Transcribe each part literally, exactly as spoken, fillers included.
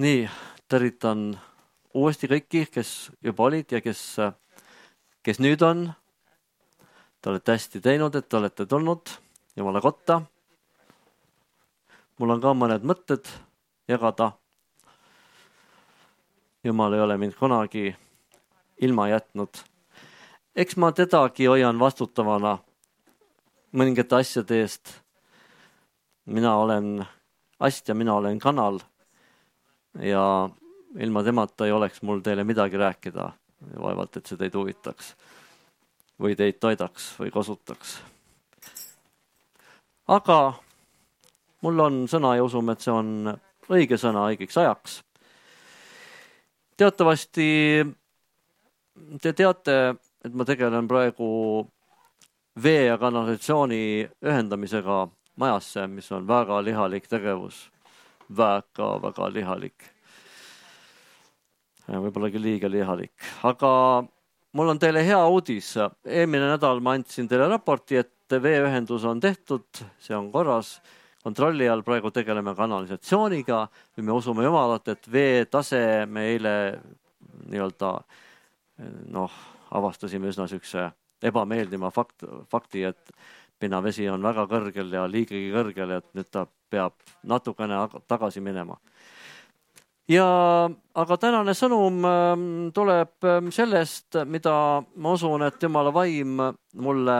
Nii, tervitan uuesti kõiki, kes juba olid ja kes, kes nüüd on. Te olete hästi teinud, et te olete tulnud Jumala kotta. Mul on ka mõned mõtted jagada. Jumal ei ole mind kunagi ilma jätnud. Eks ma tedagi hoian vastutavana mõningate asjade eest. Mina olen ast ja mina olen kanal. Ja ilma temata ei oleks mul teile midagi rääkida. Vaevalt, et see teid huvitaks. Või teid toidaks või kasutaks. Aga mul on sõna ja usume, et see on õige sõna õigeks ajaks. Teatavasti te teate, et ma tegelen praegu vee ja kanalisatsiooni ühendamisega majasse, mis on väga lihalik tegevus. Väga, väga lihalik. Võib-olla küll liiga lihalik. Aga mul on teile hea uudis. Eelmine nädal ma andsin teile raporti, et veeühendus on tehtud, see on korras. Kontrolli all praegu tegeleme kanalisatsiooniga. Me usume Jumalat, et vee tase me eile nii-öelda noh, avastasime üsna sükse ebameeldima fakt, fakti, et pinnavesi on väga kõrgel ja liigagi kõrgel, et nüüd ta peab natukene tagasi minema. Ja, aga tänane sõnum tuleb sellest, mida ma usun, et Jumala vaim mulle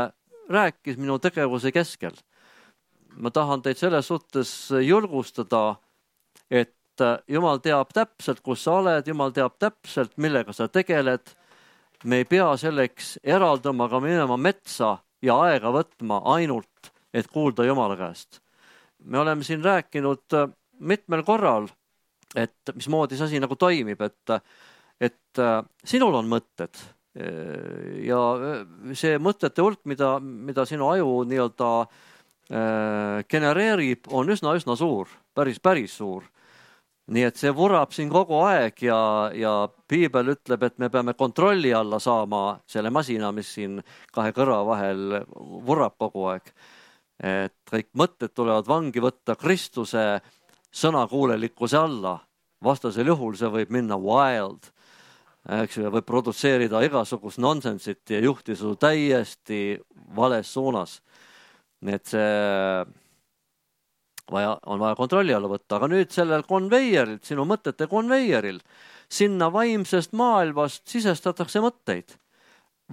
rääkis minu tegevuse keskel. Ma tahan teid selles suhtes julgustada, et Jumal teab täpselt, kus sa oled, Jumal teab täpselt, millega sa tegeled. Me ei pea selleks eraldama ka minema metsa ja aega võtma ainult, et kuulda Jumala käest. Me oleme siin rääkinud mitmel korral, et mismoodi see asi nagu toimib, et, et sinul on mõtted ja see mõtete hulk, mida, mida sinu aju nii-öelda genereerib, on üsna, üsna suur, päris, päris suur. Nii et see vurab siin kogu aeg ja, ja Piibel ütleb, et me peame kontrolli alla saama selle masina, mis siin kahe kõrva vahel vurab kogu aeg. Et kõik mõtted tulevad vangi võtta Kristuse sõnakuulelikkuse alla. Vastasel juhul see võib minna wild. Eks võib produtseerida igasugust nonsensit ja juhti su täiesti vales suunas. Nii et see vaja, on vaja kontrolli alla võtta. Aga nüüd sellel konveieril, sinu mõtete konveieril, sinna vaimsest maailmast sisestatakse mõtteid.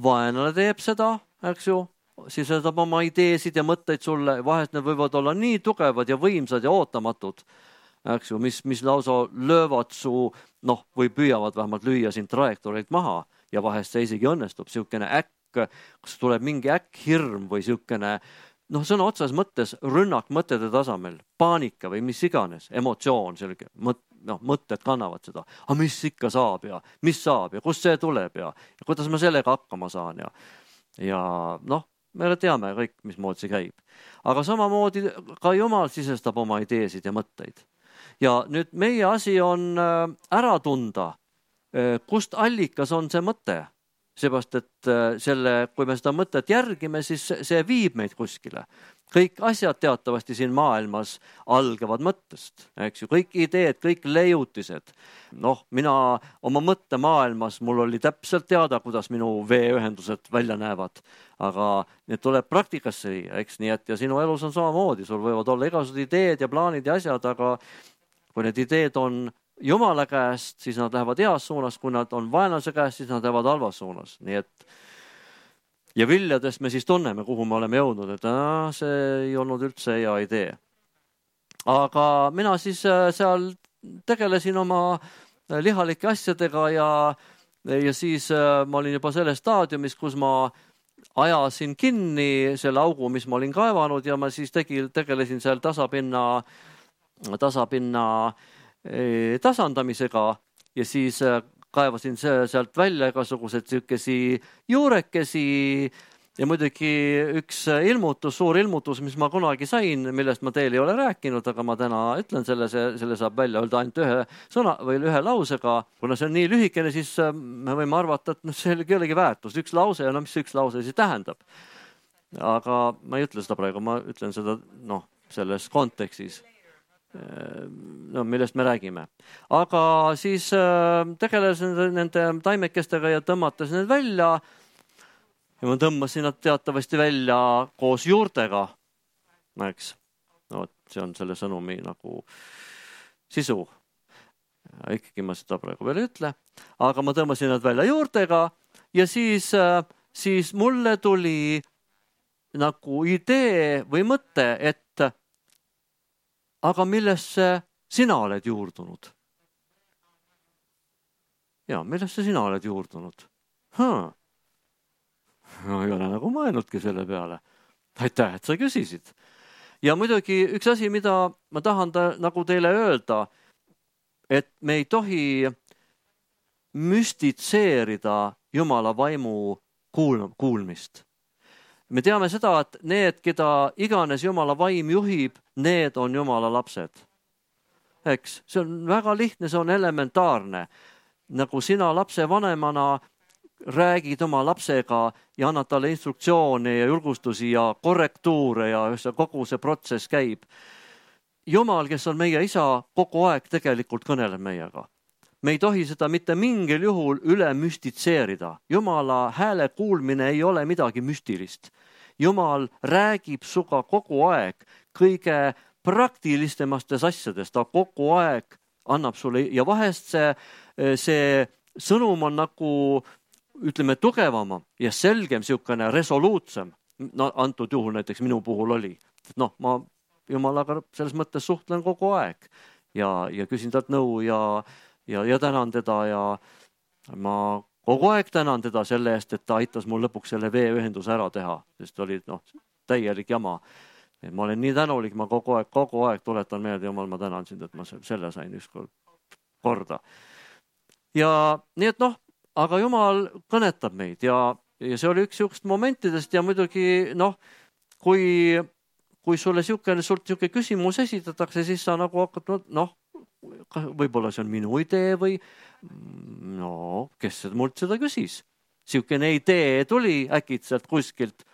Vaenlane teeb seda, eks ju, sisestab oma ideesid ja mõtteid sulle. Vahest need võivad olla nii tugevad ja võimsad ja ootamatud, eks ju, mis, mis lausa löövad su, noh, või püüavad vähemalt lüüa siin trajektoorilt maha ja vahest see isegi õnnestub. Siukene äkk, kus tuleb mingi äkk hirm või siukene, noh, sõna otsas mõttes rünnak mõtete tasamel, paanika või mis iganes, emotsioon, selge, mõt, noh, mõtted kannavad seda. Aga mis ikka saab ja mis saab ja kust see tuleb ja, ja kuidas ma sellega hakkama saan ja, ja noh, me teame kõik, mismoodi see käib. Aga samamoodi ka Jumal sisestab oma ideesid ja mõtteid. Ja nüüd meie asi on ära tunda, kust allikas on see mõte. Seepärast, et selle, kui me seda mõtet järgime, siis see viib meid kuskile. Kõik asjad teatavasti siin maailmas algavad mõttest. Eks ju, kõik ideed, kõik leiutised. Noh, mina oma mõtte maailmas, mul oli täpselt teada, kuidas minu veeühendused välja näevad. Aga need tuleb praktikasse viia, eks nii, et ja sinu elus on samamoodi. Sul võivad olla igasugused ideed ja plaanid ja asjad, aga kui need ideed on Jumala käest, siis nad lähevad heas suunas, kui nad on vaenlase käest, siis nad lähevad halvas suunas. Nii et ja viljadest me siis tunneme, kuhu me oleme jõudnud, et äh, see ei olnud üldse hea idee. Aga mina siis seal tegelesin oma lihalike asjadega ja, ja siis ma olin juba selles staadiumis, kus ma ajasin kinni selle augu, mis ma olin kaevanud ja ma siis tegi, tegelesin seal tasapinna, tasapinna tasandamisega ja siis kaevasin sealt välja igasugused sükesi juurekesi ja muidugi üks ilmutus, suur ilmutus, mis ma kunagi sain, millest ma teile ei ole rääkinud, aga ma täna ütlen selle, selle saab välja öelda ainult ühe sõna või ühe lausega. Kuna see on nii lühikene, siis me võime arvata, et no, see ei olegi väärtus. Üks lause ja no mis üks lause siis tähendab. Aga ma ei ütle seda praegu, ma ütlen seda noh, selles kontekstis. no millest me räägime. Aga siis tegelesin nende taimekestega ja tõmmates need välja ja ma tõmbasin nad teatavasti välja koos juurtega, eks. No, see on selle sõnumi nagu sisu. Ikkagi ma seda praegu veel ei ütle, aga ma tõmbasin nad välja juurtega ja siis, siis mulle tuli nagu idee või mõte, et aga millesse sina oled juurdunud? Ja, millesse sina oled juurdunud? Haa. No, ei ole nagu mõelnudki selle peale. Aitäh, et sa küsisid. Ja muidugi üks asi, mida ma tahan ta, nagu teile öelda, et me ei tohi müstitseerida Jumala vaimu kuul, kuulmist. Me teame seda, et need, keda iganes Jumala vaim juhib, need on Jumala lapsed. Eks, see on väga lihtne, see on elementaarne. Nagu sina lapse vanemana räägid oma lapsega ja annad talle instruktsioone ja julgustusi ja korrektuure ja kogu see protsess käib. Jumal, kes on meie isa, kogu aeg tegelikult kõneleb meiega. Me ei tohi seda mitte mingil juhul üle müstitseerida. Jumala hääle kuulmine ei ole midagi müstilist. Jumal räägib suga kogu aeg kõige praktilistemastes asjades. Ta kogu aeg annab sulle ja vahest see, see sõnum on nagu, ütleme, tugevama ja selgem, siukene resoluutsem. No, antud juhul näiteks minu puhul oli. Noh, ma Jumalaga selles mõttes suhtlen kogu aeg ja, ja küsin talt nõu ja Ja, ja tänan teda ja ma kogu aeg tänan teda selle eest, et ta aitas mul lõpuks selle veeühenduse ära teha, sest oli no, täielik jama. Et ma olen nii tänulik, ma kogu aeg, kogu aeg tuletan meelde, Jumal, ma tänan sind, et ma selle sain ükskord korda. Ja nii et noh, aga Jumal kõnetab meid ja, ja see oli üks siukest momentidest ja muidugi noh, kui, kui sulle siukene, sult siuke küsimus esitatakse, siis sa nagu hakkad, noh, võib-olla see on minu idee või no, kes mult seda küsis? Siukene idee tuli äkitselt kuskilt.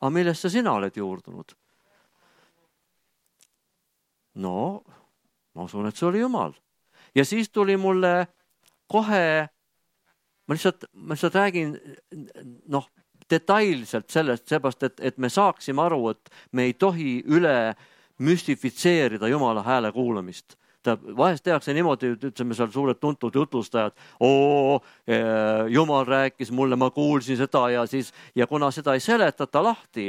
Aga millesse sina oled juurdunud? No, ma usun, et see oli Jumal. Ja siis tuli mulle kohe, ma lihtsalt, ma lihtsalt räägin noh, detailselt sellest, seepärast, et, et me saaksime aru, et me ei tohi üle müstifitseerida Jumala hääle kuulamist. Ta vahest tehakse niimoodi, ütleme seal suured tuntud jutlustajad, oo, Jumal rääkis mulle, ma kuulsin seda ja siis, ja kuna seda ei seletata lahti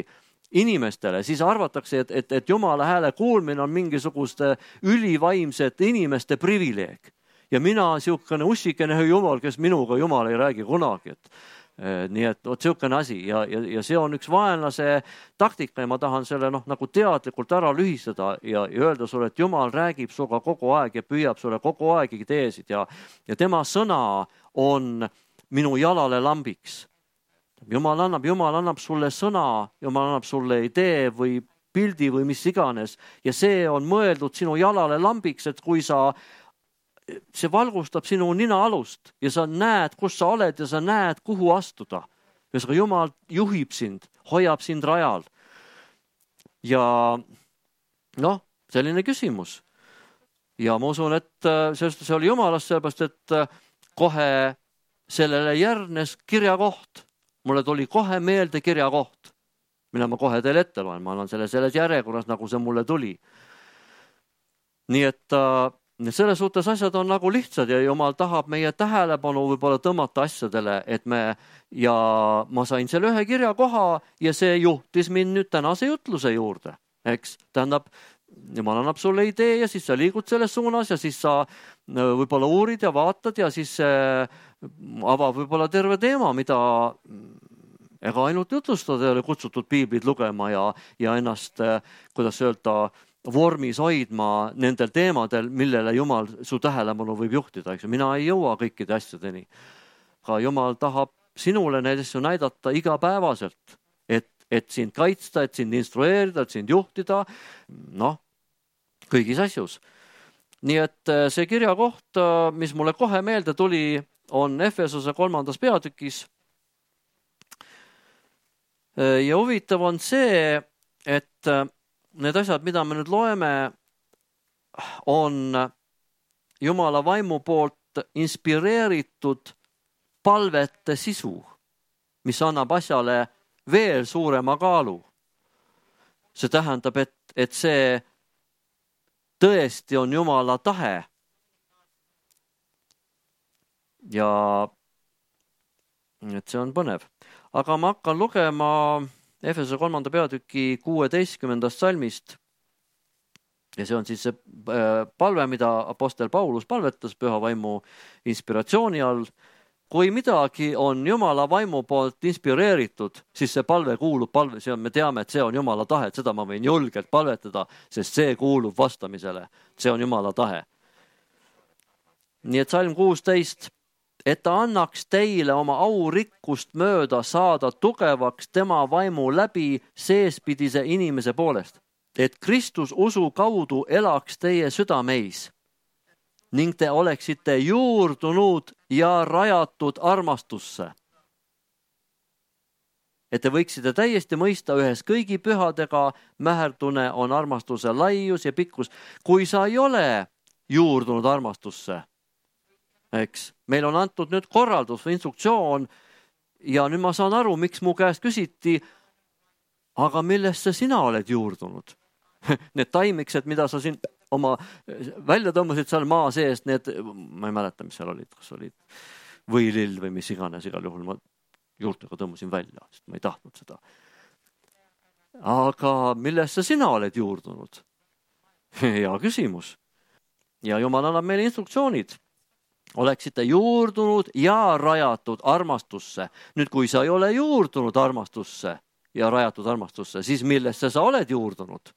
inimestele, siis arvatakse, et, et, et Jumala hääle kuulmine on mingisuguste ülivaimsete inimeste privileeg. Ja mina siukene ussikene Jumal, kes minuga Jumal ei räägi kunagi, et nii et oot siukene asi ja, ja, ja see on üks vaenlase taktika ja ma tahan selle noh, nagu teadlikult ära lühistada ja, ja öelda sulle, et Jumal räägib suga kogu aeg ja püüab sulle kogu aeg ideesid ja, ja tema sõna on minu jalale lambiks. Jumal annab, Jumal annab sulle sõna, Jumal annab sulle idee või pildi või mis iganes ja see on mõeldud sinu jalale lambiks, et kui sa see valgustab sinu nina alust ja sa näed, kus sa oled ja sa näed, kuhu astuda. Ja sa Jumal juhib sind, hoiab sind rajal. Ja noh, selline küsimus. Ja ma usun, et see oli Jumalast sellepärast, et kohe sellele järgnes kirjakoht. Mulle tuli kohe meelde kirjakoht, mille ma kohe teile ette loen. Ma annan selle selles järjekorras, nagu see mulle tuli. Nii et selles suhtes asjad on nagu lihtsad ja Jumal tahab meie tähelepanu võib-olla tõmmata asjadele, et me ja ma sain selle ühe kirja koha ja see juhtis mind nüüd tänase jutluse juurde, eks. Tähendab, Jumal annab sulle idee ja siis sa liigud selles suunas ja siis sa võib-olla uurid ja vaatad ja siis avab võib-olla terve teema, mida ega ainult jutlustada ei ole kutsutud piiblid lugema ja, ja ennast, kuidas öelda, vormis hoidma nendel teemadel, millele Jumal su tähelepanu võib juhtida. Eks? Mina ei jõua kõikide asjadeni. Ka Jumal tahab sinule neid asju näidata igapäevaselt, et, et sind kaitsta, et sind instrueerida, et sind juhtida, noh, kõigis asjus. Nii et see kirjakoht, mis mulle kohe meelde tuli, on Efesose kolmandas peatükis. Ja huvitav on see, et need asjad, mida me nüüd loeme, on Jumala vaimu poolt inspireeritud palvete sisu, mis annab asjale veel suurema kaalu. See tähendab, et, et see tõesti on Jumala tahe. Ja et see on põnev. Aga ma hakkan lugema Efese kolmanda peatüki kuueteistkümnendast salmist. Ja see on siis see palve, mida apostel Paulus palvetas püha vaimu inspiratsiooni all. Kui midagi on Jumala vaimu poolt inspireeritud, siis see palve kuulub palve. See on, me teame, et see on Jumala tahe, et seda ma võin julgelt palvetada, sest see kuulub vastamisele. See on Jumala tahe. Nii et salm kuusteist, et ta annaks teile oma aurikkust mööda saada tugevaks tema vaimu läbi seespidise inimese poolest, et Kristus usu kaudu elaks teie südameis ning te oleksite juurdunud ja rajatud armastusse. Et te võiksite täiesti mõista ühes kõigi pühadega mäherdune on armastuse laius ja pikkus. Kui sa ei ole juurdunud armastusse, eks, meil on antud nüüd korraldus või instruktsioon ja nüüd ma saan aru, miks mu käest küsiti, aga millesse sina oled juurdunud? Need taimiksed, mida sa siin oma välja tõmbasid seal maa sees, need, ma ei mäleta, mis seal olid, kas olid võilill või mis iganes, igal juhul ma juurtega tõmbasin välja, sest ma ei tahtnud seda. Aga millesse sina oled juurdunud? Hea küsimus. Ja Jumal annab meile instruktsioonid. Oleksite juurdunud ja rajatud armastusse. Nüüd, kui sa ei ole juurdunud armastusse ja rajatud armastusse, siis millesse sa oled juurdunud?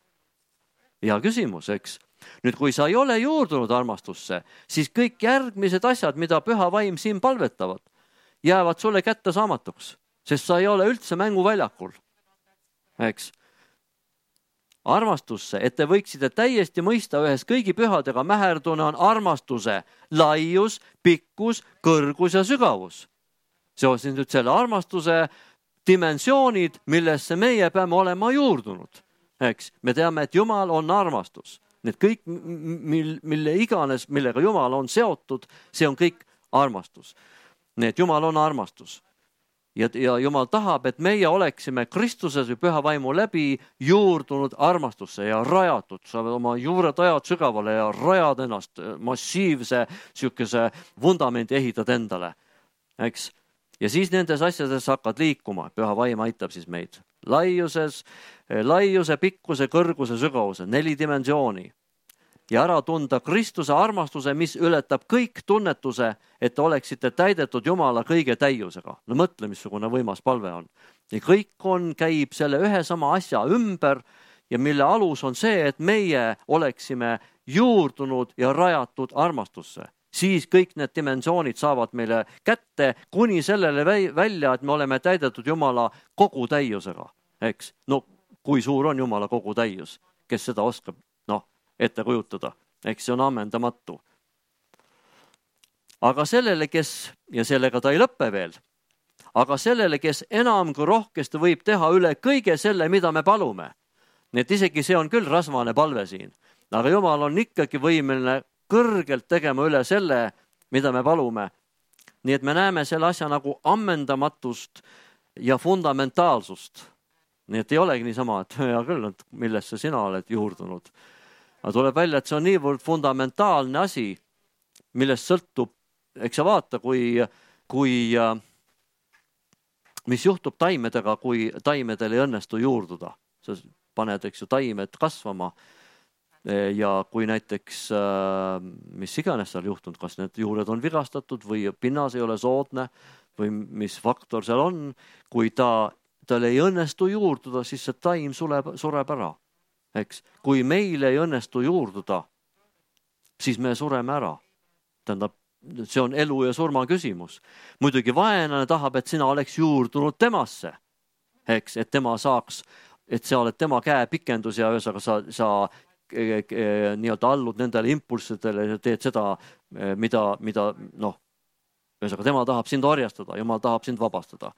Hea küsimus, eks? Nüüd, kui sa ei ole juurdunud armastusse, siis kõik järgmised asjad, mida püha vaim siin palvetavad, jäävad sulle kätte saamatuks, sest sa ei ole üldse mänguväljakul. Eks? Armastusse, et te võiksite täiesti mõista ühes kõigi pühadega mäherdune on armastuse laius, pikkus, kõrgus ja sügavus. See on nüüd selle armastuse dimensioonid, millesse meie peame olema juurdunud. Eks? Me teame, et Jumal on armastus. Need kõik, mille iganes, millega Jumal on seotud, see on kõik armastus. Need Jumal on armastus. Ja, ja Jumal tahab, et meie oleksime Kristuses või püha vaimu läbi juurdunud armastusse ja rajatud. Sa oma juured ajad sügavale ja rajad ennast massiivse sihukese vundamendi ehitad endale. Eks? Ja siis nendes asjades hakkad liikuma. Püha vaim aitab siis meid. Laiuses, laiuse, pikkuse, kõrguse, sügavuse, neli dimensiooni. Ja ära tunda Kristuse armastuse, mis ületab kõik tunnetuse, et oleksite täidetud Jumala kõige täiusega. No mõtle, missugune võimas palve on. Ja kõik on, käib selle ühe sama asja ümber ja mille alus on see, et meie oleksime juurdunud ja rajatud armastusse. Siis kõik need dimensioonid saavad meile kätte kuni sellele välja, et me oleme täidetud Jumala kogu täiusega. Eks? No, kui suur on Jumala kogu täius? Kes seda oskab no, ette kujutada? Eks see on ammendamatu. Aga sellele, kes, ja sellega ta ei lõppe veel, aga sellele, kes enam kui rohkesti võib teha üle kõige selle, mida me palume. Nii et isegi see on küll rasvane palve siin. Aga Jumal on ikkagi võimeline kõrgelt tegema üle selle, mida me palume. Nii et me näeme selle asja nagu ammendamatust ja fundamentaalsust. Nii et ei olegi niisama, et hea küll, millesse sina oled juurdunud. Aga tuleb välja, et see on niivõrd fundamentaalne asi, millest sõltub, eks sa vaata, kui, kui, mis juhtub taimedega, kui taimedel ei õnnestu juurduda. Sa paned, eks ju, taimed kasvama. Ja kui näiteks, mis iganes seal juhtunud, kas need juured on vigastatud või pinnas ei ole soodne või mis faktor seal on, kui ta, tal ei õnnestu juurduda, siis see taim sureb, sureb ära. Eks? Kui meil ei õnnestu juurduda, siis me sureme ära. Tähendab, see on elu ja surma küsimus. Muidugi vaenlane tahab, et sina oleks juurdunud temasse. Eks? Et tema saaks, et sa oled tema käe pikendus ja ühesõnaga sa, sa nii-öelda allud nendele impulssidele ja teed seda, mida, mida noh, ühesõnaga tema tahab sind orjastada, Jumal tahab sind vabastada.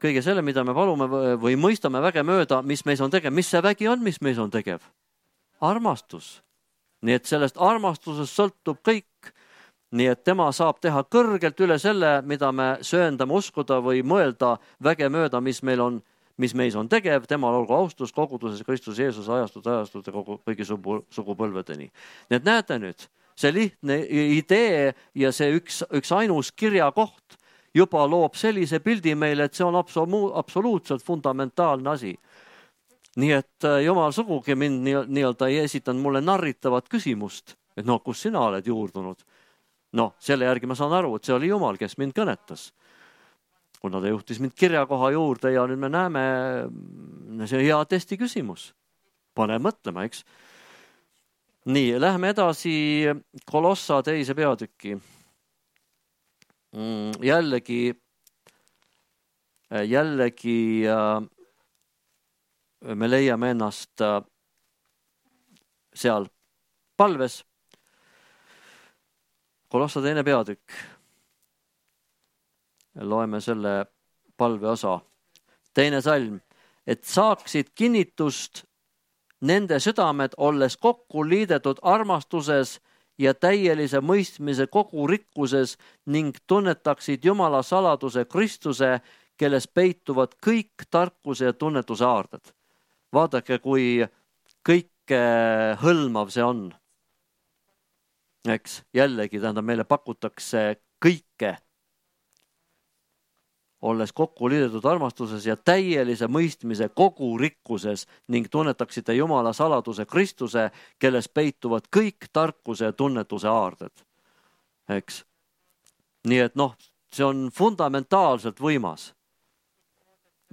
Kõige selle, mida me palume või mõistame väge mööda, mis meis on tegev, mis see vägi on, mis meis on tegev? Armastus. nii et sellest armastusest sõltub kõik. Nii et tema saab teha kõrgelt üle selle, mida me sööndame uskuda või mõelda väge mööda, mis meil on, mis meis on tegev, temal olgu austus koguduses Kristus Jeesus ajastud, ajastud ja kogu, kõigi sugu, sugupõlvedeni. Nii et näete nüüd, see lihtne idee ja see üks, üks ainus kirjakoht juba loob sellise pildi meile, et see on absolu, absoluutselt fundamentaalne asi. Nii et Jumal sugugi mind nii-öelda ei esitanud mulle narritavat küsimust, et no kus sina oled juurdunud. No selle järgi ma saan aru, et see oli Jumal, kes mind kõnetas. Kuna ta juhtis mind kirjakoha juurde ja nüüd me näeme, see hea testi küsimus. Pane mõtlema, eks? Nii, lähme edasi Kolossa teise peatüki. Jällegi, jällegi me leiame ennast seal palves. Kolossa teine peatükk. Loeme selle palve osa. Teine salm. Et saaksid kinnitust nende südamed, olles kokku liidetud armastuses ja täielise mõistmise kogu rikkuses ning tunnetaksid Jumala saladuse Kristuse, kelles peituvad kõik tarkuse ja tunnetuse aarded. Vaadake, kui kõike hõlmav see on. Eks, jällegi, tähendab, meile pakutakse kõike, olles kokku liidetud armastuses ja täielise mõistmise kogu rikkuses ning tunnetaksite Jumala saladuse Kristuse, kelles peituvad kõik tarkuse ja tunnetuse aarded. Eks. Nii et noh, see on fundamentaalselt võimas.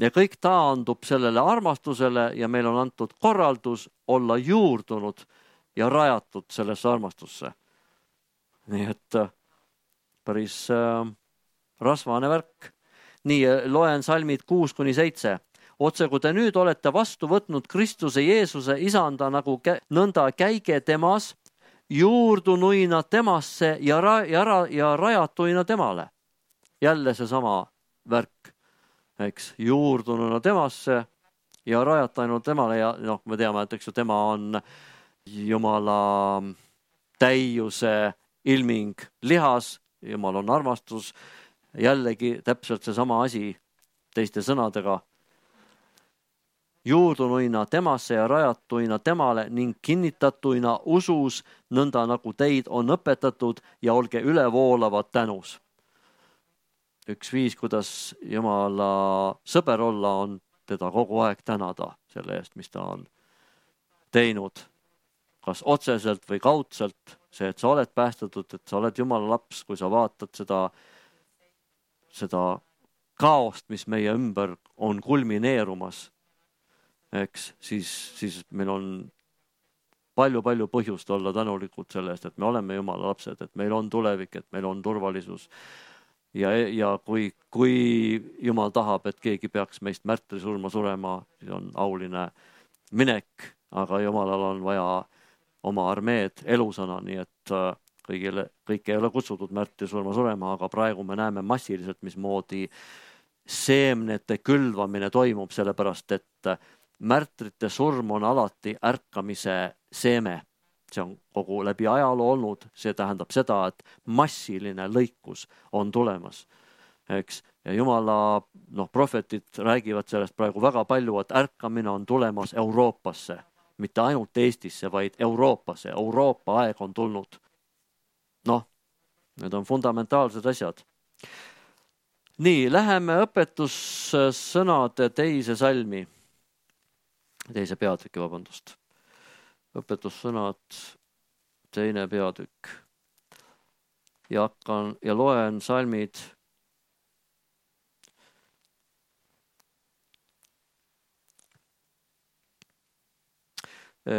Ja kõik taandub sellele armastusele ja meil on antud korraldus olla juurdunud ja rajatud sellesse armastusse. Nii et päris äh, rasvane värk. Nii loen salmid kuus kuni seitse. Otse kui te nüüd olete vastu võtnud Kristuse Jeesuse isanda nagu kä- nõnda käige temas, juurdunuina temasse ja, ra- ja, ra- ja rajatuina temale. Jälle see sama värk, eks, juurdununa temasse ja rajatuina temale ja noh, me teame, et eks ju tema on Jumala täiuse ilming lihas, Jumal on armastus. Jällegi täpselt see sama asi teiste sõnadega. Juurdunuina temasse ja rajatuina temale ning kinnitatuina usus, nõnda nagu teid on õpetatud ja olge ülevoolavad tänus. Üks viis, kuidas Jumala sõber olla, on teda kogu aeg tänada selle eest, mis ta on teinud. Kas otseselt või kaudselt, see, et sa oled päästetud, et sa oled Jumala laps, kui sa vaatad seda seda kaost, mis meie ümber on kulmineerumas, eks, siis, siis meil on palju-palju põhjust olla tänulikud selle eest, et me oleme Jumala lapsed, et meil on tulevik, et meil on turvalisus. Ja, ja kui, kui Jumal tahab, et keegi peaks meist märtrisurma surema, siis on auline minek, aga Jumalal on vaja oma armeed elusana, nii et kõigile, kõik ei ole kutsutud märti surma surema, aga praegu me näeme massiliselt, mismoodi seemnete külvamine toimub, sellepärast et märtrite surm on alati ärkamise seeme. See on kogu läbi ajaloo olnud, see tähendab seda, et massiline lõikus on tulemas. Eks? Ja Jumala noh, profetid räägivad sellest praegu väga palju, et ärkamine on tulemas Euroopasse, mitte ainult Eestisse, vaid Euroopasse. Euroopa aeg on tulnud. Noh, need on fundamentaalsed asjad. Nii, läheme õpetussõnade teise salmi. Teise peatüki, vabandust. Õpetussõnad, teine peatükk. Ja hakkan ja loen salmid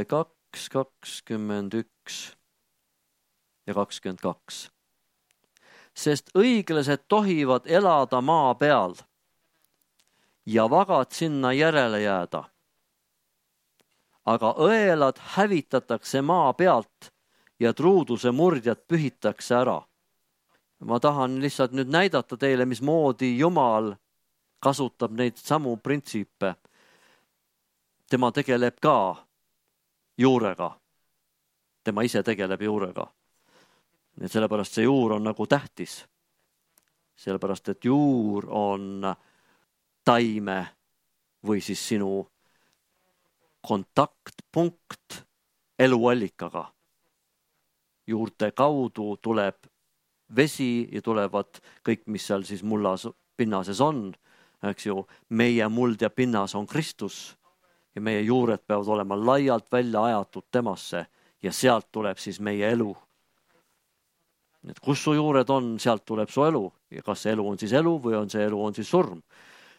kaks, kakskümmend üks ja kakskümmend kaks. Sest õiglased tohivad elada maa peal ja vagad sinna järele jääda. Aga õelad hävitatakse maa pealt ja truuduse murdjad pühitakse ära. Ma tahan lihtsalt nüüd näidata teile, mismoodi Jumal kasutab neid samu printsiipe. Tema tegeleb ka juurega. tema ise tegeleb juurega. Nii et sellepärast see juur on nagu tähtis. Sellepärast, et juur on taime või siis sinu kontaktpunkt eluallikaga. Juurte kaudu tuleb vesi ja tulevad kõik, mis seal siis mullas pinnases on. Eks ju, meie muld ja pinnas on Kristus ja meie juured peavad olema laialt välja ajatud temasse ja sealt tuleb siis meie elu. Et kus su juured on, sealt tuleb su elu ja kas see elu on siis elu või on see elu on siis surm.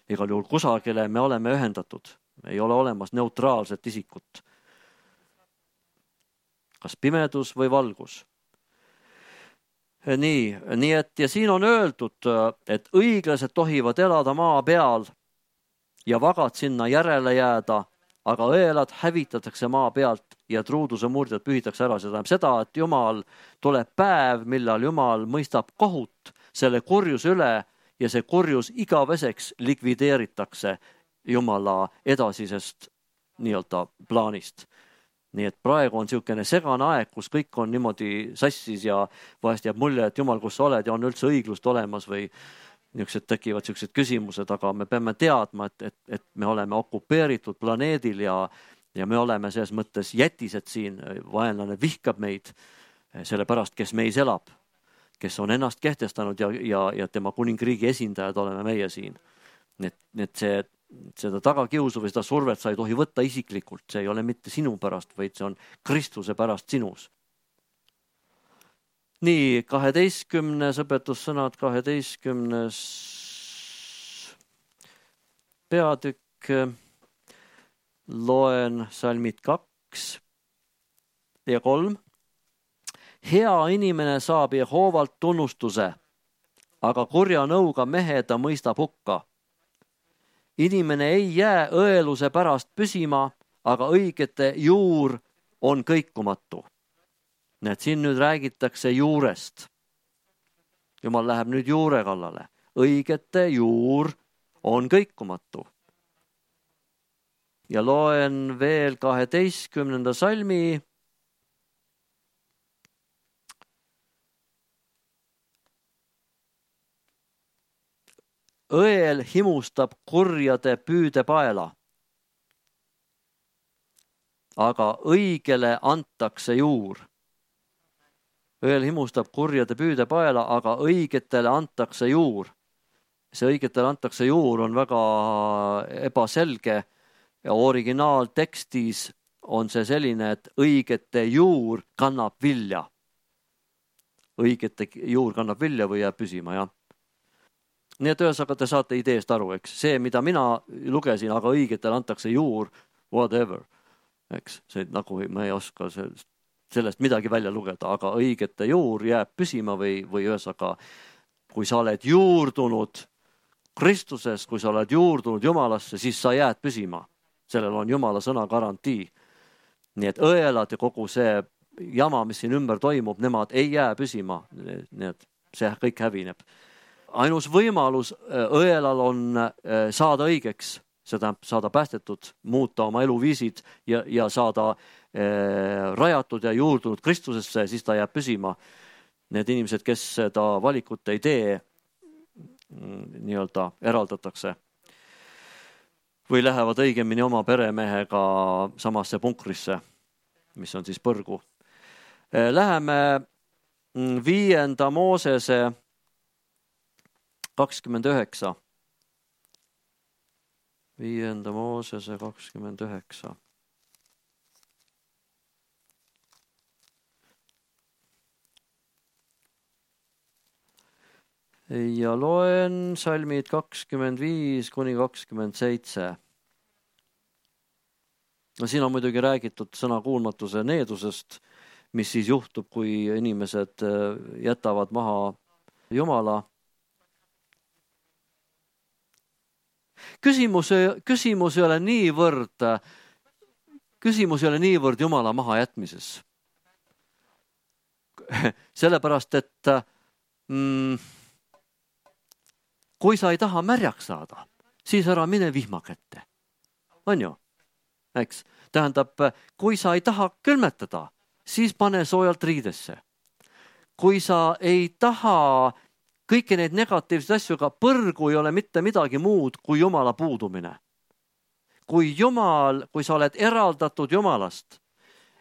Igal juhul kusagile me oleme ühendatud. Ei ole olemas neutraalset isikut. Kas pimedus või valgus. Nii, nii et ja siin on öeldud, et õiglased tohivad elada maa peal ja vagad sinna järele jääda, aga õelad hävitatakse maa pealt ja truuduse murdjad pühitakse ära. See tähendab seda, et Jumal tuleb päev, millal Jumal mõistab kohut selle kurjuse üle ja see kurjus igaveseks likvideeritakse Jumala edasisest nii-öelda plaanist. Nii et praegu on niisugune segane aeg, kus kõik on niimoodi sassis ja vahest jääb mulje, et Jumal, kus sa oled ja on üldse õiglust olemas või niisugused tekivad niisugused küsimused, aga me peame teadma, et, et, et me oleme okupeeritud planeedil ja, ja me oleme selles mõttes jätised siin. Vaenlane vihkab meid selle pärast, kes meis elab, kes on ennast kehtestanud ja, ja, ja tema kuningriigi esindajad oleme meie siin. Nii et, nii et see seda tagakiusu või seda survet sa ei tohi võtta isiklikult. See ei ole mitte sinu pärast, vaid see on Kristuse pärast sinus. Nii, kaheteistkümnes õpetussõnad, kaheteistkümnes peatükk. Loen salmid kaks ja kolm. Hea inimene saab Jehoovalt tunnustuse, aga kurja nõuga mehe ta mõistab hukka. Inimene ei jää õeluse pärast püsima, aga õigete juur on kõikumatu. Need siin nüüd räägitakse juurest. Jumal läheb nüüd juure kallale. Õigete juur on kõikumatu. Ja loen veel kaheteistkümnenda salmi. Õel himustab kurjade püüdepaela, aga õigele antakse juur. Õel himustab kurjade püüdepaela, aga õigetele antakse juur. See õigetele antakse juur on väga ebaselge ja originaaltekstis on see selline, et õigete juur kannab vilja. Õigete juur kannab vilja või jääb püsima, jah. Nii et ühesõnaga te saate ideest aru, eks. See, mida mina lugesin, aga õigetele antakse juur, whatever. Eks, see nagu ma ei oska sellest, sellest midagi välja lugeda, aga õigete juur jääb püsima või, või ühesõnaga, kui sa oled juurdunud Kristuses, kui sa oled juurdunud Jumalasse, siis sa jääd püsima. Sellel on Jumala sõna garantii. Nii et õelad ja kogu see jama, mis siin ümber toimub, nemad ei jää püsima. Nii et see kõik hävineb. Ainus võimalus õelal on saada õigeks, seda saada päästetud, muuta oma eluviisid ja, ja saada eh, rajatud ja juurdunud Kristusesse, siis ta jääb püsima. Need inimesed, kes seda valikut ei tee, nii-öelda eraldatakse või lähevad õigemini oma peremehega samasse punkrisse, mis on siis põrgu. Läheme viienda Moosese kakskümmend üheksa. Viienda Moosese kakskümmend üheksa. Ja loen salmid kakskümmend viis kuni kakskümmend seitse. No siin on muidugi räägitud sõnakuulmatuse needusest, mis siis juhtub, kui inimesed jätavad maha Jumala. Küsimus, küsimus ei ole niivõrd, küsimus ei ole niivõrd Jumala maha jätmises. Sellepärast, et mm, kui sa ei taha märjaks saada, siis ära mine vihma kätte. On ju? Eks? Tähendab, kui sa ei taha külmetada, siis pane soojalt riidesse. Kui sa ei taha kõiki neid negatiivseid asju, ka põrgu ei ole mitte midagi muud kui Jumala puudumine. Kui Jumal, kui sa oled eraldatud Jumalast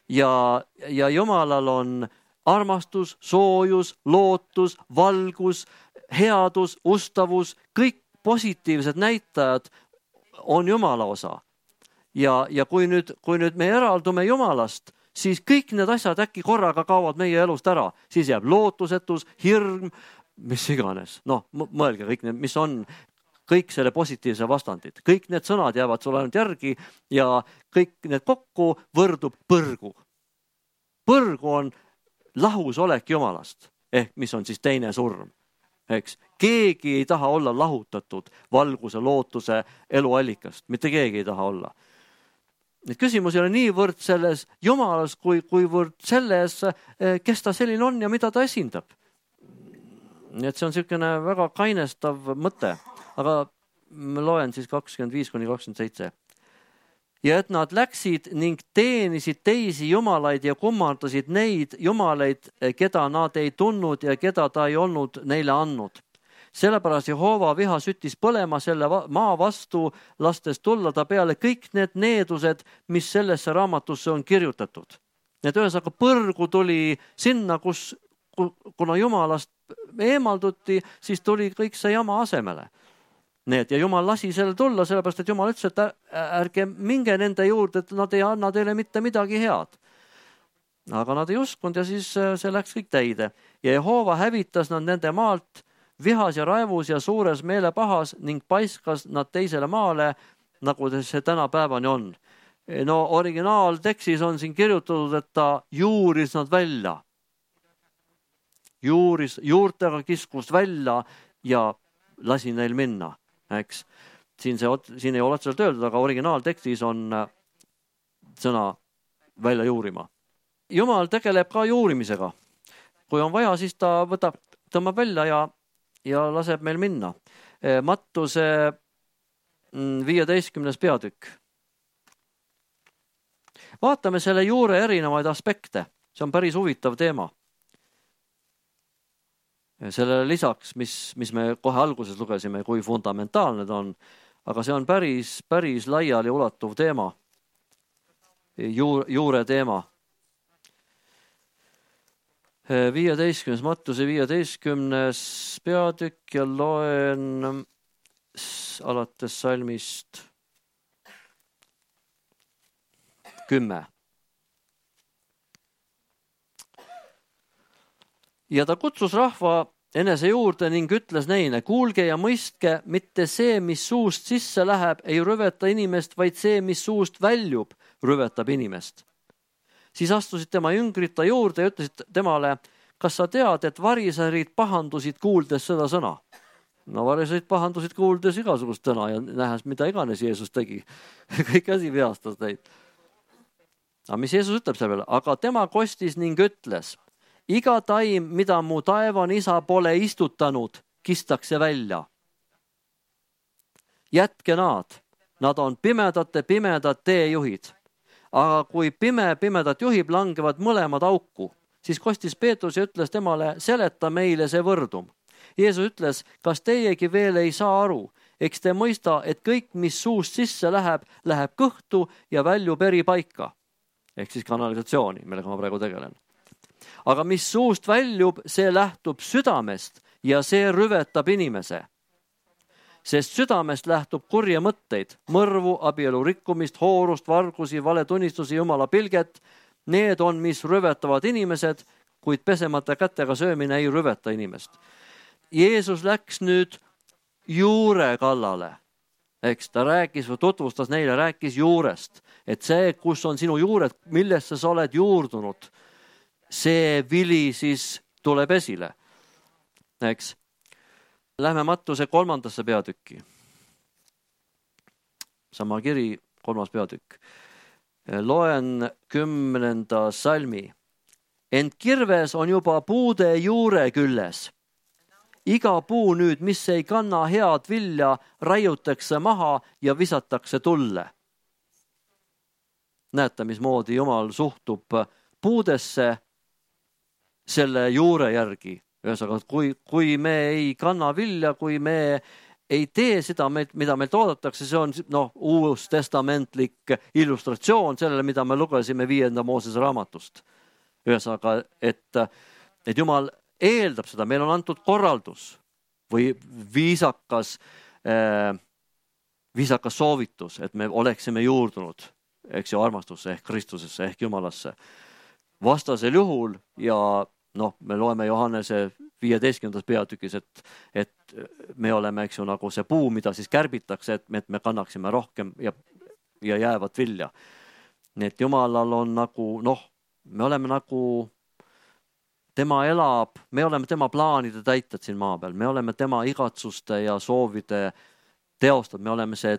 ja, ja Jumalal on armastus, soojus, lootus, valgus, headus, ustavus, kõik positiivsed näitajad on Jumala osa. Ja, ja kui nüüd, kui nüüd me eraldume Jumalast, siis kõik need asjad äkki korraga kaovad meie elust ära. Siis jääb lootusetus, hirm, mis iganes. Noh, mõelge kõik need, mis on kõik selle positiivse vastandid. Kõik need sõnad jäävad sulle ainult järgi ja kõik need kokku võrdub põrgu. Põrgu on lahusolek Jumalast, ehk mis on siis teine surm. Eks? Keegi ei taha olla lahutatud valguse, lootuse, eluallikast. Mitte keegi ei taha olla. Need küsimus ei ole niivõrd selles Jumalas, kui, kuivõrd selles, kes ta selline on ja mida ta esindab. Nii et see on selline väga kainestav mõte, aga ma loen siis kakskümmend viis kuni kakskümmend seitse. Ja et nad läksid ning teenisid teisi jumalaid ja kummardasid neid jumalaid, keda nad ei tundnud ja keda ta ei olnud neile andnud. Sellepärast Jehova viha süttis põlema selle maa vastu, lastes tulla ta peale kõik need needused, mis sellesse raamatusse on kirjutatud. Need ühesõnaga põrgu tuli sinna, kus, kuna Jumalast eemalduti, siis tuli kõik see jama asemele. Need, ja Jumal lasi selle tulla, sellepärast, et Jumal ütles, et ärge minge nende juurde, et nad ei anna teile mitte midagi head. Aga nad ei uskunud ja siis see läks kõik täide. Ja Jehova hävitas nad nende maalt vihas ja raevus ja suures meelepahas ning paiskas nad teisele maale, nagu see tänapäevani on. No originaaltekstis on siin kirjutatud, et ta juuris nad välja. Juuris, juurtega kiskus välja ja lasi neil minna. Eks? Siin, see, siin ei ole otseselt öeldud, aga originaaltekstis on sõna välja juurima. Jumal tegeleb ka juurimisega. Kui on vaja, siis ta võtab, tõmbab välja ja ja laseb meil minna. Mattuse viieteistkümnes peatükk. Vaatame selle juure erinevaid aspekte. See on päris huvitav teema. Sellele lisaks, mis, mis me kohe alguses lugesime, kui fundamentaalne ta on, aga see on päris, päris laiali ulatuv teema. Juur, juure teema. viieteistkümnes, Mattuse viieteistkümnes peatükk ja loen alates salmist kümme. Ja ta kutsus rahva enese juurde ning ütles neile, kuulge ja mõistke, mitte see, mis suust sisse läheb, ei rüveta inimest, vaid see, mis suust väljub, rüvetab inimest. Siis astusid tema jüngrid ta juurde ja ütlesid temale, kas sa tead, et variserid pahandusid kuuldes seda sõna? No variserid pahandusid kuuldes igasugust sõna ja nähes, mida iganes Jeesus tegi. Kõik asi vihastas neid. Aga mis Jeesus ütleb selle peale? Aga tema kostis ning ütles, iga taim, mida mu taevan isa pole istutanud, kistakse välja. Jätke nad, nad on pimedate pimedad teejuhid. Aga kui pime pimedat juhib, langevad mõlemad auku, siis kostis Peetrus ja ütles temale, seleta meile see võrdum. Jeesus ütles, kas teiegi veel ei saa aru, eks te mõista, et kõik, mis suust sisse läheb, läheb kõhtu ja väljub eri paika. Ehk siis kanalisatsiooni, millega ma praegu tegelen. Aga mis suust väljub, see lähtub südamest ja see rüvetab inimese. Sest südamest lähtub kurje mõtteid, mõrvu, abielu rikkumist, hoorust, vargusi, valetunnistusi, Jumala pilget. Need on, mis rüvetavad inimesed, kuid pesemata kätega söömine ei rüveta inimest. Jeesus läks nüüd juure kallale. Eks ta rääkis või tutvustas neile, rääkis juurest. Et see, kus on sinu juured, millesse sa oled juurdunud, see vili siis tuleb esile. Eks? Lähme Mattuse kolmandasse peatükki. Sama kiri, kolmas peatükk. Loen kümnenda salmi. Ent kirves on juba puude juure külles. Iga puu nüüd, mis ei kanna head vilja, raiutakse maha ja visatakse tulle. Näete, mismoodi Jumal suhtub puudesse selle juure järgi. Ühesõnaga, kui, kui me ei kanna vilja, kui me ei tee seda, mida meil toodetakse, see on no, uus testamentlik illustratsioon sellele, mida me lugesime viienda Moosese raamatust. Ühesõnaga, et, et Jumal eeldab seda, meil on antud korraldus või viisakas, äh, viisakas soovitus, et me oleksime juurdunud, eks ju, armastusse ehk Kristusesse ehk Jumalasse. Vastasel juhul ja noh, me loeme Johannese viieteistkümnendas peatükis, et, et me oleme, eks ju, nagu see puu, mida siis kärbitakse, et me, et me kannaksime rohkem ja, ja jäävat vilja. Nii et Jumalal on nagu, noh, me oleme nagu, tema elab, me oleme tema plaanide täitjad siin maa peal, me oleme tema igatsuste ja soovide teostad, me oleme see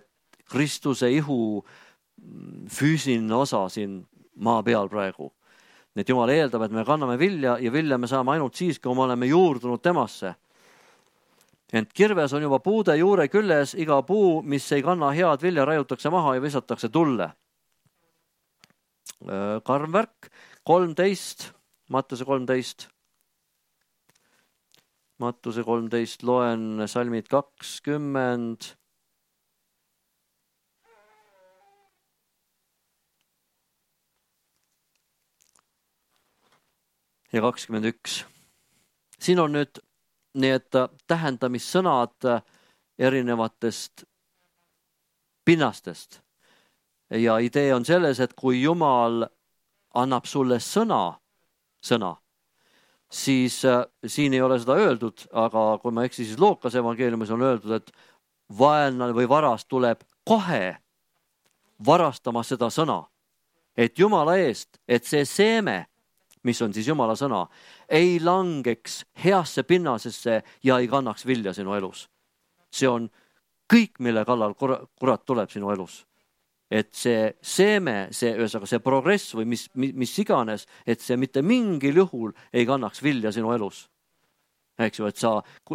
Kristuse ihu füüsiline osa siin maa peal praegu. Nii et Jumal eeldab, et me kanname vilja ja vilja me saame ainult siis, kui me oleme juurdunud temasse. Ent kirves on juba puude juure külles, iga puu, mis ei kanna head vilja, raiutakse maha ja visatakse tulle. Karm värk, kolmteist, Mattuse kolmteist. Mattuse kolmteist, loen salmid kakskümmend. Ja kakskümmend üks. Siin on nüüd need tähendamissõnad erinevatest pinnastest. Ja idee on selles, et kui Jumal annab sulle sõna, sõna, siis siin ei ole seda öeldud, aga kui ma eksi, siis Luukase evangeeliumis on öeldud, et vaenlane või varas tuleb kohe varastama seda sõna. Et Jumala eest, et see seeme, mis on siis Jumala sõna, ei langeks heasse pinnasesse ja ei kannaks vilja sinu elus. See on kõik, mille kallal kurat tuleb sinu elus. Et see seeme, see, ühesõnaga see progress või mis, mis iganes, et see mitte mingil juhul ei kannaks vilja sinu elus. Eks ju, et sa,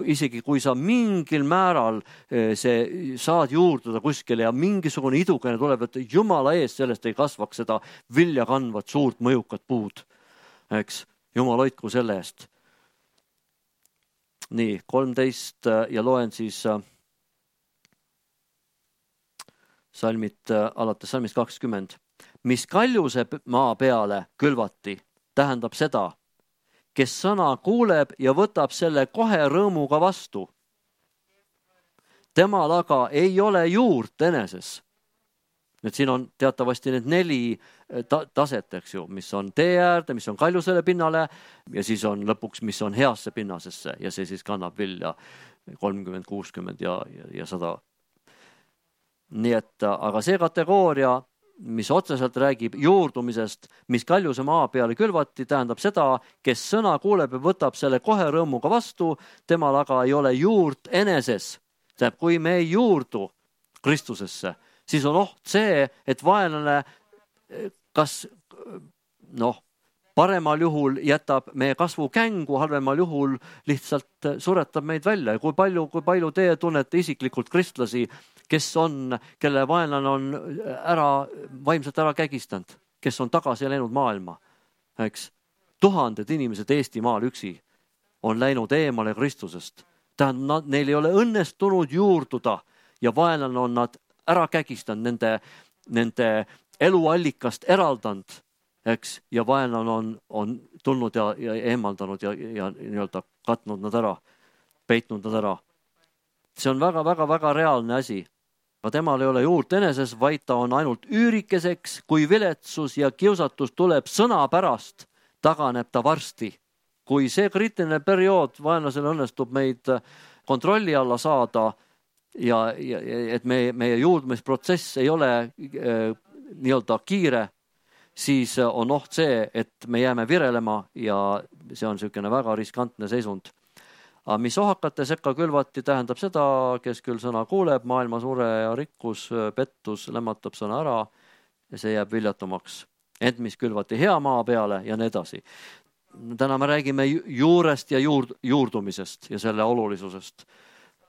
isegi kui sa mingil määral see, saad juurduda kuskile ja mingisugune idukene tuleb, et Jumala eest sellest ei kasvaks seda vilja kandvat suurt mõjukat puud. Eks, Jumal hoidku selle eest. Nii, kolmteist ja loen siis salmid, alates salmist kakskümmend. Mis kaljuse maa peale külvati, tähendab seda, kes sõna kuuleb ja võtab selle kohe rõõmuga vastu. Temal aga ei ole juurt eneses. Nüüd siin on teatavasti need neli ta- taset, eks ju, mis on tee äärde, mis on kaljusele pinnale ja siis on lõpuks, mis on heasse pinnasesse ja see siis kannab vilja kolmkümmend, kuuskümmend ja, ja, ja sada. Nii et, aga see kategooria, mis otseselt räägib juurdumisest, mis kaljuse maa peale külvati, tähendab seda, kes sõna kuuleb ja võtab selle kohe rõõmuga vastu, temal aga ei ole juurt eneses. Tähendab, kui me ei juurdu Kristusesse, siis on oht see, et vaenlane kas noh, paremal juhul jätab meie kasvu kängu, halvemal juhul lihtsalt suretab meid välja. Ja kui palju, kui palju teie tunnete isiklikult kristlasi, kes on, kelle vaenlane on ära, vaimselt ära kägistanud, kes on tagasi läinud maailma. Eks? Tuhanded inimesed Eestimaal üksi on läinud eemale Kristusest. Tähendab, neil ei ole õnnestunud juurduda ja vaenlane on nad ära kägistanud, nende, nende eluallikast eraldanud, eks, ja vaenlane on, on tulnud ja, ja eemaldanud ja, ja nii-öelda katnud nad ära, peitnud nad ära. See on väga, väga, väga reaalne asi. Aga temal ei ole juurt eneses, vaid ta on ainult üürikeseks, kui viletsus ja kiusatus tuleb sõna pärast, taganeb ta varsti. Kui see kriitiline periood vaenlasele õnnestub meid kontrolli alla saada, ja, ja et meie, meie juurdumisprotsess ei ole äh, nii-öelda kiire, siis on oht see, et me jääme virelema ja see on niisugune väga riskantne seisund. Aga mis ohakate sekka külvati, tähendab seda, kes küll sõna kuuleb, maailma sure ja rikkus, pettus, lämmatab sõna ära ja see jääb viljatumaks. Ent mis külvati hea maa peale ja nii edasi. Täna me räägime juurest ja juurd, juurdumisest ja selle olulisusest.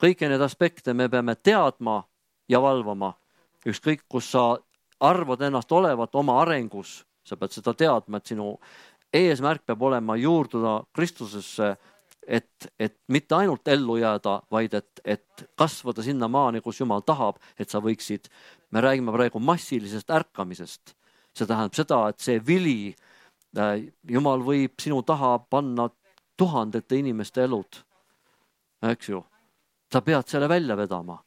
Kõiki need aspekte me peame teadma ja valvama. Ükskõik, kus sa arvad ennast olevat oma arengus, sa pead seda teadma, et sinu eesmärk peab olema juurduda Kristusesse, et, et mitte ainult ellu jääda, vaid et, et kasvada sinna maani, kus Jumal tahab, et sa võiksid, me räägime praegu massilisest ärkamisest. See tähendab seda, et see vili, Jumal võib sinu taha panna tuhandete inimeste elud, eks ju. Sa pead selle välja vedama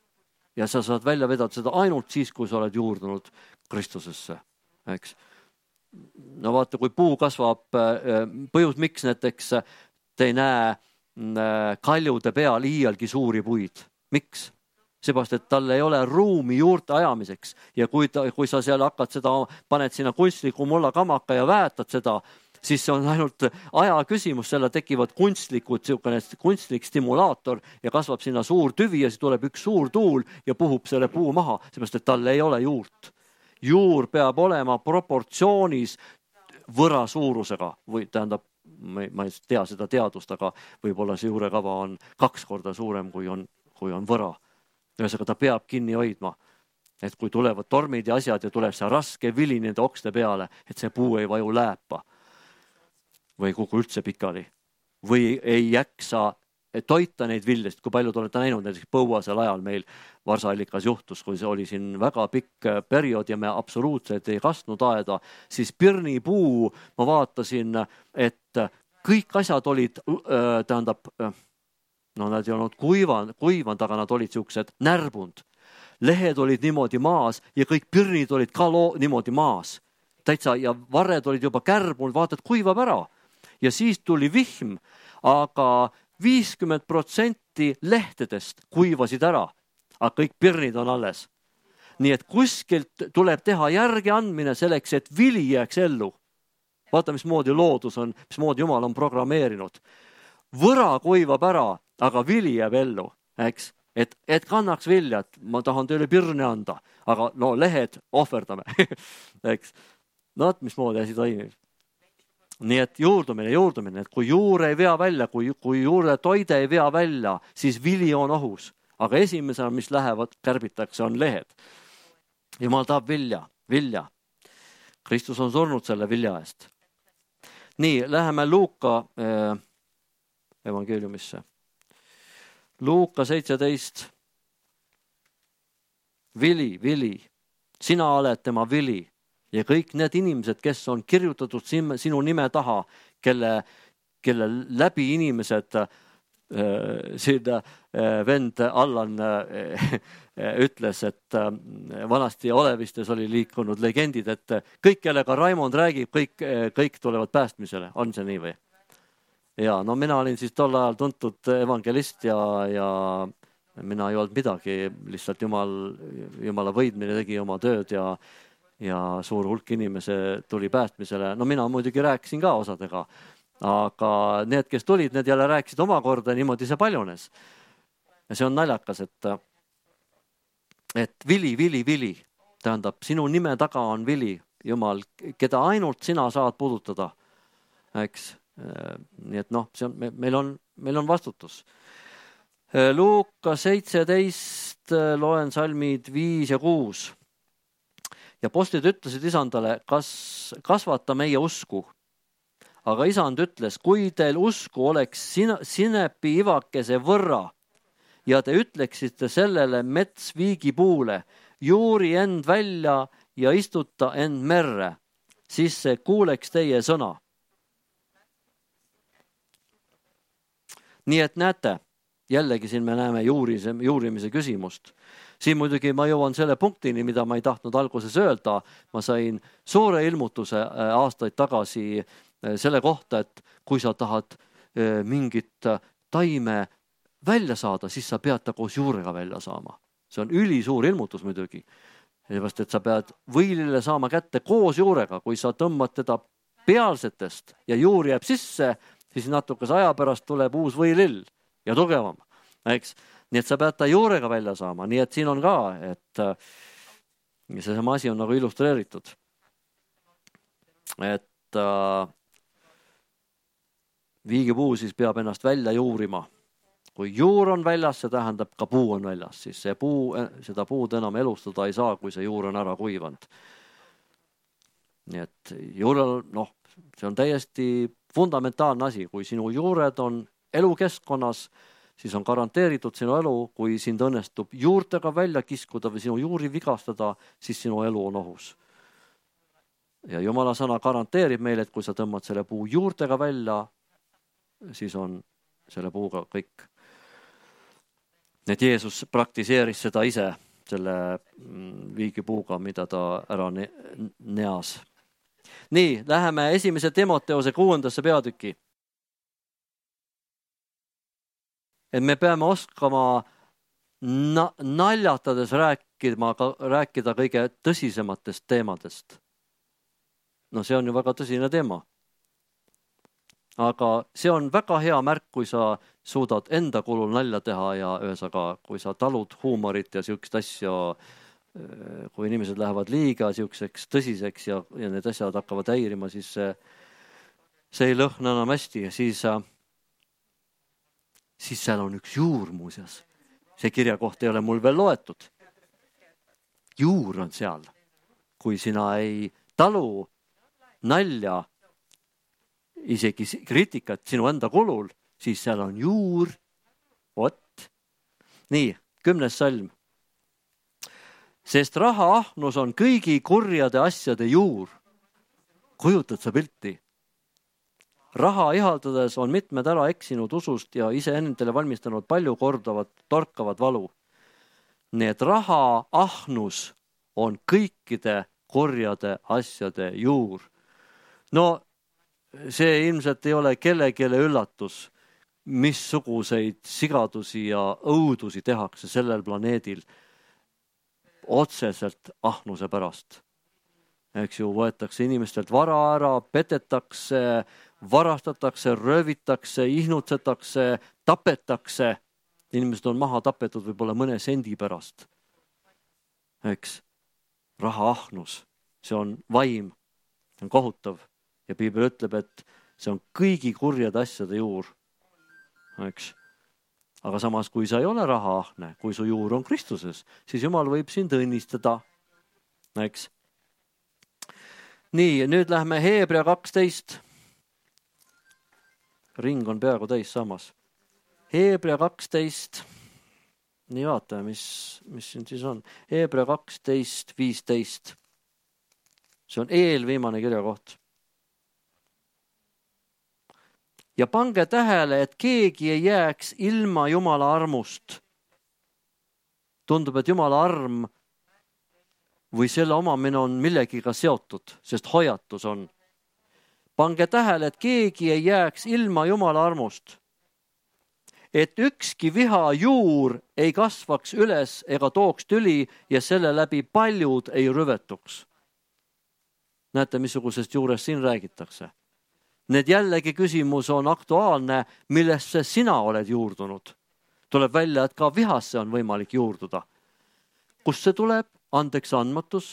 ja sa saad välja vedada seda ainult siis, kui sa oled juurdunud Kristusesse, eks. No vaata, kui puu kasvab, põhjus miks näiteks te ei näe kaljude peal iialgi suuri puid. Miks? Seepärast, et tal ei ole ruumi juurte ajamiseks ja kui, ta, kui sa seal hakkad seda, paned sinna kunstliku mulla kamaka ja väetad seda, siis see on ainult aja küsimus, selle tekivad kunstlikud, kunstlik stimulaator ja kasvab sinna suur tüvi ja siis tuleb üks suur tuul ja puhub selle puu maha, seepärast, et tal ei ole juurt. Juur peab olema proportsioonis võra suurusega või tähendab, ma ei tea seda teadust, aga võib-olla see juurekava on kaks korda suurem, kui on, kui on võra. Ühesõnaga ta peab kinni hoidma, et kui tulevad tormid ja asjad ja tuleb see raske vili nende okste peale, et see puu ei vaju lääpa või kuku üldse pikali või ei jaksa toita neid vildest, kui palju te olete näinud näiteks põuasel ajal meil Varsallikas juhtus, kui see oli siin väga pikk periood ja me absoluutselt ei kastnud aeda, siis pirnipuu, ma vaatasin, et kõik asjad olid, tähendab, no nad ei olnud kuivanud, kuivanud, aga nad olid siuksed närbunud. Lehed olid niimoodi maas ja kõik pirnid olid ka loo, niimoodi maas. Täitsa ja varred olid juba kärbunud, vaatad, kuivab ära. Ja siis tuli vihm, aga viiskümmend protsenti lehtedest kuivasid ära, aga kõik pirnid on alles. Nii et kuskilt tuleb teha järgi andmine selleks, et vili jääks ellu. Vaata, mismoodi loodus on, mismoodi Jumal on programmeerinud. Võra kuivab ära, aga vili jääb ellu, eks? Et, et kannaks viljat, ma tahan teile pirne anda, aga no lehed ohverdame, eks? No, mismoodi asi toimib. Nii et juurdumine, juurdumine, et kui juur ei vea välja, kui, kui juure toide ei vea välja, siis vili on ohus. Aga esimesena, mis lähevad, kärbitakse, on lehed. Jumal tahab vilja, vilja. Kristus on surnud selle vilja eest. Nii, läheme Luuka eh, evangeeliumisse. Luuka seitseteist. Vili, vili. Sina oled tema vili. Ja kõik need inimesed, kes on kirjutatud sinu nime taha, kelle, kelle läbi inimesed, äh, siin äh, vend Allan äh, ütles, et äh, vanasti Olevistes oli liikunud legendid, et kõik, kellega Raimond räägib, kõik, kõik tulevad päästmisele. On see nii või? Ja, no mina olin siis tol ajal tuntud evangelist ja, ja mina ei olnud midagi, lihtsalt Jumal, Jumala võidmine tegi oma tööd ja ja suur hulk inimese tuli päästmisele. No mina muidugi rääkisin ka osadega, aga need, kes tulid, need jälle rääkisid omakorda, niimoodi see paljunes. Ja see on naljakas, et, et vili, vili, vili, tähendab, sinu nime taga on vili, Jumal, keda ainult sina saad puudutada, eks. Nii et noh, see on, meil on, meil on vastutus. Luuka seitseteist, loen salmid viis ja kuus. Ja postid ütlesid isandale, kas kasvata meie usku. Aga isand ütles, kui teil usku oleks sinepi ivakese võrra ja te ütleksite sellele metsviigipuule, juuri end välja ja istuta end merre, siis see kuuleks teie sõna. Nii et näete, jällegi siin me näeme juurise, juurimise küsimust. Siin muidugi ma jõuan selle punktini, mida ma ei tahtnud alguses öelda. Ma sain suure ilmutuse aastaid tagasi selle kohta, et kui sa tahad mingit taime välja saada, siis sa pead ta koos juurega välja saama. See on ülisuur ilmutus muidugi. Sellepärast, et sa pead võilile saama kätte koos juurega. Kui sa tõmbad teda pealsetest ja juur jääb sisse, siis natukese aja pärast tuleb uus võilill ja tugevam, eks? Nii et sa pead ta juurega välja saama. Nii et siin on ka, et see sama asi on nagu illustreeritud. Et äh, viigipuu siis peab ennast välja juurima. Kui juur on väljas, see tähendab ka puu on väljas. Siis see puu, seda puud enam elustada ei saa, kui see juur on ära kuivanud. nii et juurel, noh, see on täiesti fundamentaalne asi, kui sinu juured on elukeskkonnas, siis on garanteeritud sinu elu, kui sind õnnestub juurtega välja kiskuda või sinu juuri vigastada, siis sinu elu on ohus. Ja Jumala sõna garanteerib meile, et kui sa tõmbad selle puu juurtega välja, siis on selle puuga kõik. Et Jeesus praktiseeris seda ise, selle viigipuuga, mida ta ära neas. Nii, läheme esimese Timoteose kuuendasse peatüki. Et me peame oskama na- naljatades rääkida, rääkida kõige tõsisematest teemadest. No see on ju väga tõsine teema. Aga see on väga hea märk, kui sa suudad enda kulul nalja teha ja ühesaga, kui sa talud huumorit ja siukest asja, kui inimesed lähevad liiga siukseks tõsiseks ja, ja need asjad hakkavad häirima, siis see, see ei lõhna enam hästi. Siis, siis seal on üks juur muuseas. See kirjakoht ei ole mul veel loetud. Juur on seal. Kui sina ei talu nalja, isegi kriitikat sinu enda kulul, siis seal on juur. Vot. Nii, kümnes salm. Sest rahaahnus on kõigi kurjade asjade juur. Kujutad sa pilti? Raha ihaldades on mitmed ära eksinud usust ja ise endale valmistanud palju kordavat, torkavat valu. Nii et rahaahnus on kõikide kurjade asjade juur. No see ilmselt ei ole kellegile üllatus, missuguseid sigadusi ja õudusi tehakse sellel planeedil otseselt ahnuse pärast. Eks ju, võetakse inimestelt vara ära, petetakse, varastatakse, röövitakse, ihnutsetakse, tapetakse. Inimesed on maha tapetud võib-olla mõne sendi pärast. Eks, rahaahnus, see on vaim, see on kohutav. Ja Piibel ütleb, et see on kõigi kurjade asjade juur. Eks. Aga samas, kui sa ei ole rahaahne, kui su juur on Kristuses, siis Jumal võib sind õnnistada. Eks. Nii, nüüd lähme Heebrea kaksteist. Ring on peaaegu täis samas. Heebrea kaksteist. Nii vaatame, mis, mis siin siis on. Heebrea kaksteist, viisteist. See on eelviimane kirjakoht. Ja pange tähele, et keegi ei jääks ilma Jumala armust. Tundub, et Jumala arm või selle omamine on millegiga seotud, sest hoiatus on. Pange tähele, et keegi ei jääks ilma Jumala armust. Et ükski viha juur ei kasvaks üles ega tooks tüli ja selle läbi paljud ei rüvetuks. Näete, missugusest juurest siin räägitakse. Need jällegi küsimus on aktuaalne, millesse sina oled juurdunud. Tuleb välja, et ka vihasse on võimalik juurduda. Kust see tuleb? Andeks andmatus.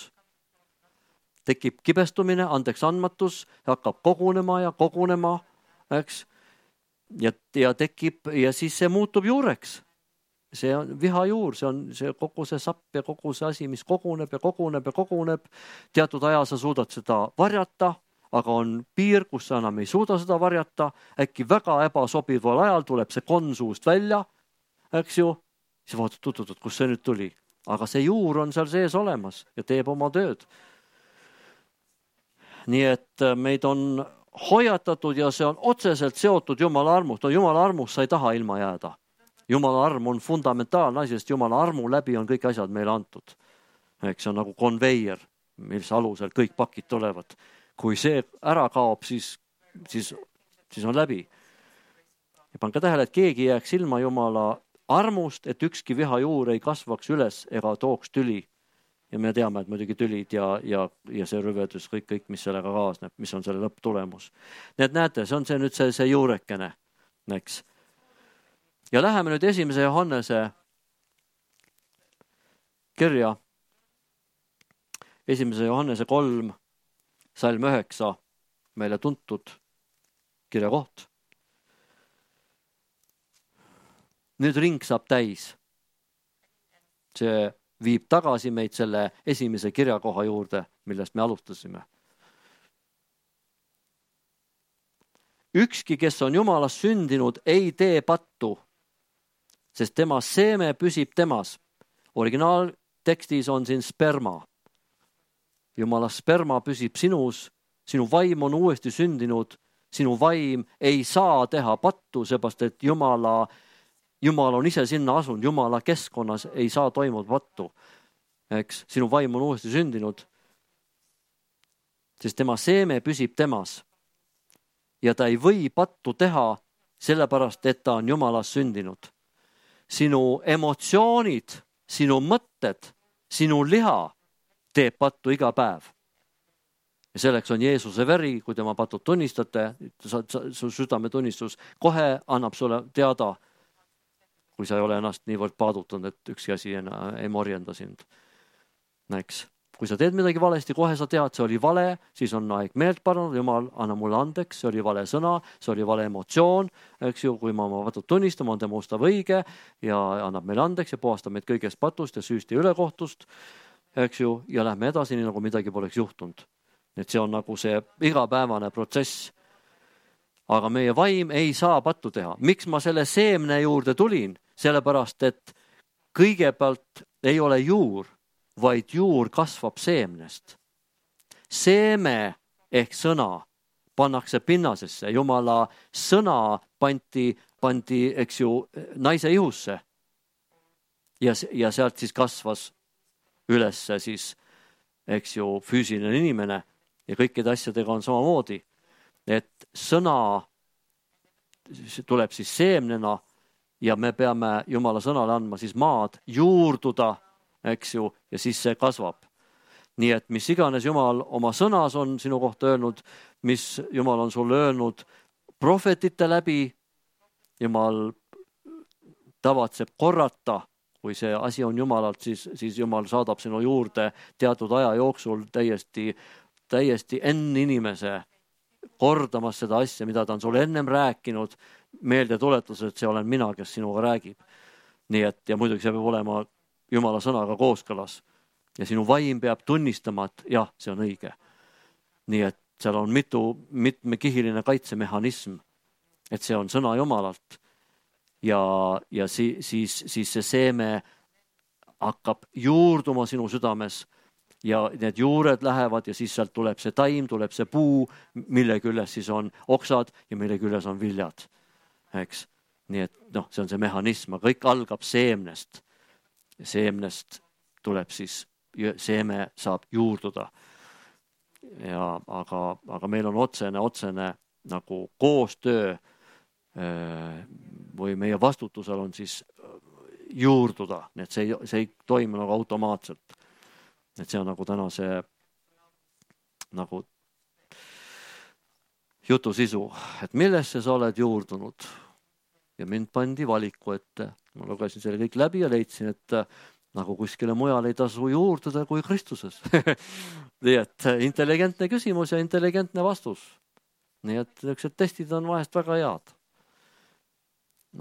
Tekib kibestumine, andeks andmatus, hakkab kogunema ja kogunema, eks? Ja, ja tekib ja siis see muutub juureks. See on viha juur, see on see kogu see sapp ja kogu see asi, mis koguneb ja koguneb ja koguneb. Teatud aja sa suudad seda varjata, aga on piir, kus sa enam ei suuda seda varjata. Äkki väga ebasobival ajal tuleb see konsuust välja, eks ju. Siis vaatad tututut, kus see nüüd tuli. Aga see juur on seal sees olemas ja teeb oma tööd. Nii et meid on hoiatatud ja see on otseselt seotud Jumala armust. No Jumala armust sa ei taha ilma jääda. Jumala arm on fundamentaalne asi, sest Jumala armu läbi on kõik asjad meile antud. Eks see on nagu konveier, mis alusel kõik pakid tulevad. Kui see ära kaob, siis, siis, siis on läbi. Ja pange tähele, et keegi jääks ilma Jumala armust, et ükski viha juur ei kasvaks üles ega tooks tüli. Ja me teame, et muidugi tülid ja, ja, ja see rüvedus, kõik, kõik, mis sellega kaasneb, mis on selle lõpptulemus. Nii et näete, see on see nüüd see, see juurekene. Eks. Ja läheme nüüd esimese Johannese kirja. Esimese Johannese kolm, salm üheksa, meile tuntud kirjakoht. Nüüd ring saab täis. See viib tagasi meid selle esimese kirjakoha juurde, millest me alustasime. ükski, kes on Jumalast sündinud, ei tee pattu, sest tema seeme püsib temas. Originaaltekstis on siin sperma. Jumala sperma püsib sinus, sinu vaim on uuesti sündinud, sinu vaim ei saa teha pattu, seepärast et Jumala, Jumal on ise sinna asunud, Jumala keskkonnas ei saa toimuda pattu. Eks, sinu vaim on uuesti sündinud, sest tema seeme püsib temas. Ja ta ei või pattu teha, sellepärast, et ta on Jumalast sündinud. Sinu emotsioonid, sinu mõtted, sinu liha teeb pattu iga päev. Ja selleks on Jeesuse veri, kui tema patud tunnistate, su südametunnistus kohe annab sulle teada, kui sa ei ole ennast niivõrd paadutanud, et ükski asi ei morjenda sind. Näeks. Kui sa teed midagi valesti, kohe sa tead, see oli vale, siis on aeg meelt parandada, Jumal, anna mulle andeks, see oli vale sõna, see oli vale emotsioon, eks ju, kui ma oma patud tunnistama, on tema ustav õige ja annab meile andeks ja puhastab meid kõigest patust ja süüst ja ülekohtust, eks ju, ja lähme edasi, nii nagu midagi poleks juhtunud. Et see on nagu see igapäevane protsess. Aga meie vaim ei saa pattu teha. Miks ma selle seemne juurde tulin? Sellepärast, et kõigepealt ei ole juur, vaid juur kasvab seemnest. Seeme ehk sõna pannakse pinnasesse. Jumala sõna pandi, pandi eks ju, naise ihusse. Ja, ja sealt siis kasvas üles siis, eks ju, füüsiline inimene. Ja kõikide asjadega on samamoodi. Et sõna tuleb siis seemnena ja me peame Jumala sõnale andma siis maad juurduda, eks ju, ja siis see kasvab. Nii et mis iganes Jumal oma sõnas on sinu kohta öelnud, mis Jumal on sulle öelnud prohvetite läbi, Jumal tavatseb korrata, kui see asi on Jumalalt, siis, siis Jumal saadab sinu juurde teatud aja jooksul täiesti, täiesti enne inimese kordamas seda asja, mida ta on sulle ennem rääkinud, meelde tuletus, et see olen mina, kes sinuga räägib. Nii et, ja muidugi see peab olema Jumala sõnaga kooskõlas. Ja sinu vaim peab tunnistama, et jah, see on õige. Nii et seal on mitu, mitmekihiline kaitsemehhanism, et see on sõna Jumalalt. Ja, ja si, siis, siis see seeme hakkab juurduma sinu südames ja need juured lähevad ja siis sealt tuleb see taim, tuleb see puu, mille küljes siis on oksad ja mille küljes on viljad. Eks? Nii et noh, see on see mehhanism, aga kõik algab seemnest. Seemnest tuleb siis, seeme saab juurduda. Ja, aga, aga meil on otsene, otsene nagu koostöö või meie vastutusel on siis juurduda. Nii et see ei, see ei toimu nagu automaatselt. Et see on nagu täna see nagu jutu sisu, et millesse sa oled juurdunud. Ja mind pandi valiku ette. Ma lugesin selle kõik läbi ja leidsin, et nagu kuskile mujal ei tasu juurduda kui Kristuses. Nii et intelligentne küsimus ja intelligentne vastus. Nii et niisugused testid on vahest väga head.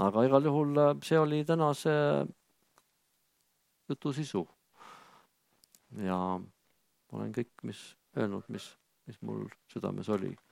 Aga igal juhul see oli täna see jutu sisu. Ja olen kõik, mis öelnud, mis, mis mul südames oli.